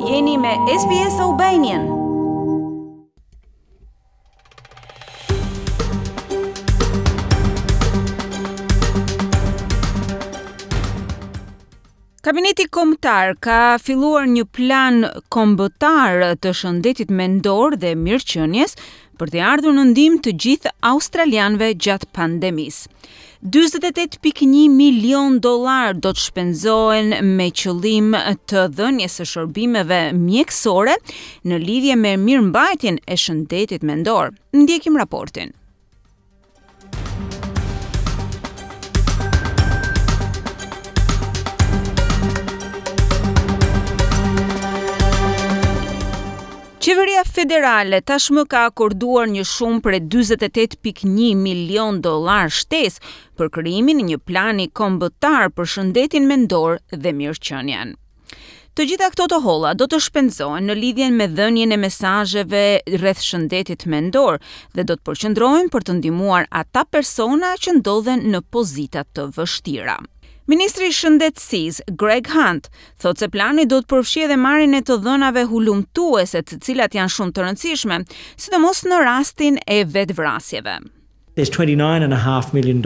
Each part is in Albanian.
Jeni me SBS Albanian. Kabineti Kombëtar ka filluar një plan kombëtar të shëndetit mendor dhe mirëqenies për t'i ardhur në ndihmë të gjithë australianëve gjatë pandemisë. 48.1 milion dollar do të shpenzohen me qëllim të dhënies së shërbimeve mjekësore në lidhje me mirëmbajtjen e shëndetit mendor. Ndjekim raportin. Qeveria federale tashmë ka akorduar një shumë prej 48.1 milion dollar shtesë për krijimin e një plani kombëtar për shëndetin mendor dhe mirëqenien. Të gjitha këto të holla do të shpenzohen në lidhje me dhënien e mesazheve rreth shëndetit mendor dhe do të përqendrohen për të ndihmuar ata persona që ndodhen në pozita të vështira. Ministri i Shëndetësisë, Greg Hunt, thotë se plani do të përfshijë edhe marrjen e të dhënave hulumtuese, të cilat janë shumë të rëndësishme, sidomos në rastin e vetëvrasjeve. There's $29.5 million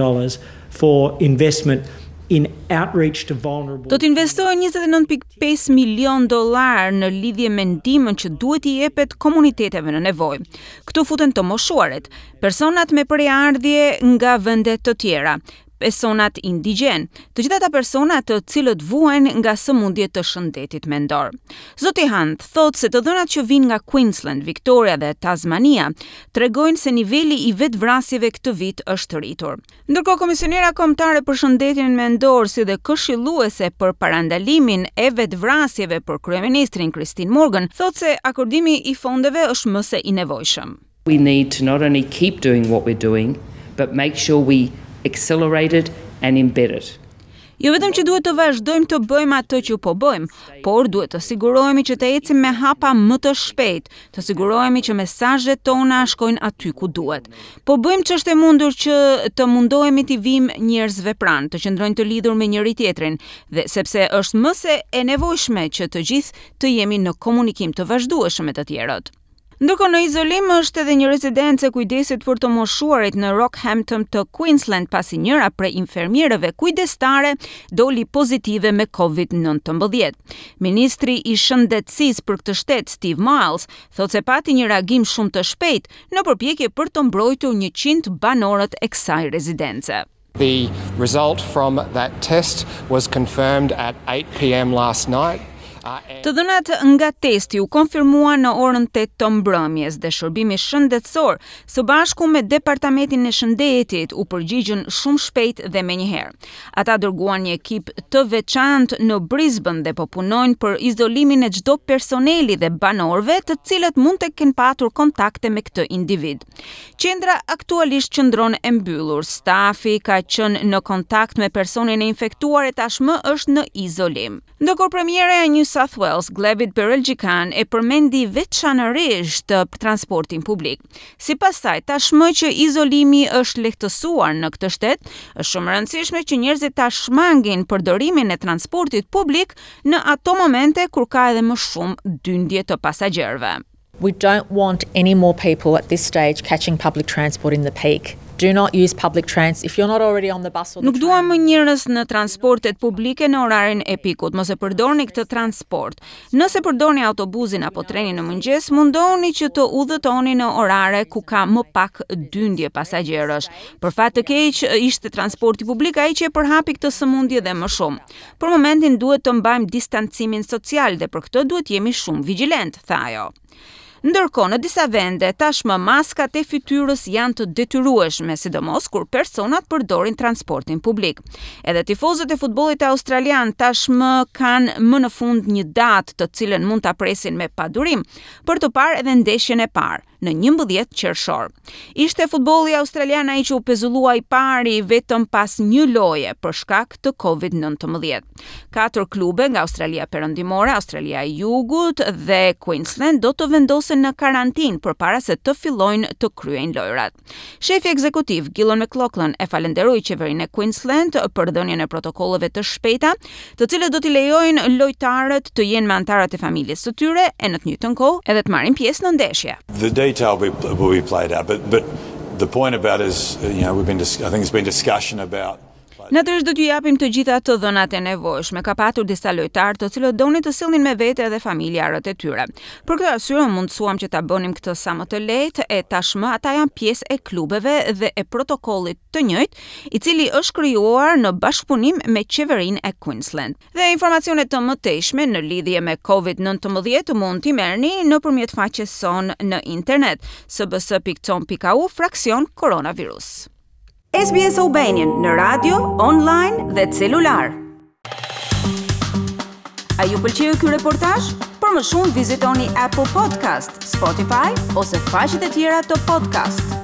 for investment in outreach to vulnerable Do të investohen 29.5 milion dollar në lidhje me ndihmën që duhet t'i jepet komuniteteve në nevojë. Këtu futen të moshuarit, personat me prejardhje nga vende të tjera, personat indigjenë, të gjithë ata persona të cilët vuajnë nga sëmundje të shëndetit mendor. Zoti Hunt thotë se të dhënat që vijnë nga Queensland, Victoria dhe Tasmania tregojnë se niveli i vetëvrasjeve këtë vit është rritur. Ndërkohë, Komisionera Kombëtare për Shëndetin Mendor si dhe këshilluese për parandalimin e vetëvrasjeve për kryeministrin Christine Morgan thotë se akordimi i fondeve është më se i nevojshëm. We need to not only keep doing what we're doing, but make sure we accelerate it and embed it. Jo vetëm që duhet të vazhdojmë të bëjmë atë që po bëjmë, por duhet të sigurohemi që të ecim me hapa më të shpejtë, të sigurohemi që mesazhet tona shkojnë aty ku duhet. Po bëjmë ç'është e mundur që të mundohemi t'i vijmë njerëzve pranë, të qëndrojnë të lidhur me njëri-tjetrin dhe sepse është më se e nevojshme që të gjithë të jemi në komunikim të vazhdueshëm me të tjerët. Ndërkohë në izolim është edhe një rezidencë e kujdesit për të moshuarit në Rockhampton të Queensland pasi njëra prej infermiereve kujdestare doli pozitive me COVID-19. Ministri i Shëndetësisë për këtë shtet, Steve Miles, thotë se pati një reagim shumë të shpejtë në përpjekje për të mbrojtur 100 banorët e kësaj rezidence. The result from that test was confirmed at 8 p.m. last night. Të dhënat nga testi u konfirmuan në orën 8 të mbrëmjes dhe shërbimi shëndetësor së bashku me Departamentin e Shëndetit u përgjigjën shumë shpejt dhe menjëherë. Ata dërguan një ekip të veçantë në Brisbane dhe po punojnë për izolimin e çdo personeli dhe banorëve të cilët mund të kenë patur kontakte me këtë individ. Qendra aktualisht qëndron e mbyllur. Stafi ka qenë në kontakt me personin e infektuar e tashmë është në izolim. Ndërkohë premierja e New South Wales, Gladys Berejiklian, e përmendi veçanërisht transportin publik. Sipas saj, tashmë që izolimi është lehtësuar në këtë shtet, është shumë e rëndësishme që njerëzit ta shmangin përdorimin e transportit publik në ato momente kur ka edhe më shumë dyndje të pasagjerëve. We don't want any more people at this stage catching public transport in the peak. Do not use public trans if you're not already on the bus or the Nuk duam më njerëz në transportet publike në orarin e pikut. Mos e përdorni këtë transport. Nëse përdorni autobusin apo trenin në mëngjes, mundohuni që të udhëtoni në orare ku ka më pak dyndje pasagjerësh. Për fat të keq, ishte transporti publik ai që e përhapi këtë sëmundje dhe më shumë. Për momentin duhet të mbajmë distancimin social dhe për këtë duhet jemi shumë vigjilent, tha ajo. Ndërkohë, në disa vende, tashmë maskat e fytyrës janë të detyrueshme, sidomos kur personat përdorin transportin publik. Edhe tifozët e futbollit australian tashmë kanë më në fund një datë të cilën mund ta presin me padurim për të parë edhe ndeshjen e parë. në 11 qershor. Ishte futbolli australian ai që u pezullua i pari vetëm pas një loje për shkak të COVID-19. Katër klube nga Australia Perëndimore, Australia e Jugut dhe Queensland do të vendosen në karantinë përpara se të fillojnë të kryejnë lojërat. Shefi ekzekutiv Gillon McLachlan e falënderoi qeverinë e Queensland për dhënien e protokolleve të shpejta, të cilët do t'i lejojnë lojtarët të jenë me anëtarët e familjes së tyre e në të njëjtën kohë edhe të marrin pjesë në ndeshje. The detail will be, will be played out, but but the point about is, you know, we've been I think there's been discussion about Natyrisht do t'ju japim të gjitha të dhënat e nevojshme. Ka patur disa lojtarë të cilët donin të sillnin me vete edhe familjarët e tyre. Për këtë arsye u mundësuam që ta bënim këtë sa më të lehtë e tashmë ata janë pjesë e klubeve dhe e protokollit të njëjtë, i cili është krijuar në bashkëpunim me qeverinë e Queensland. Dhe informacione të mëtejshme në lidhje me COVID-19 mund t'i merrni nëpërmjet faqes sonë në internet sbs.com.au fraksion koronavirus. SBS Albanian në radio, online dhe celular. A ju pëlqeu ky reportazh? Për më shumë vizitoni Apple Podcast, Spotify ose faqet e tjera të podcast.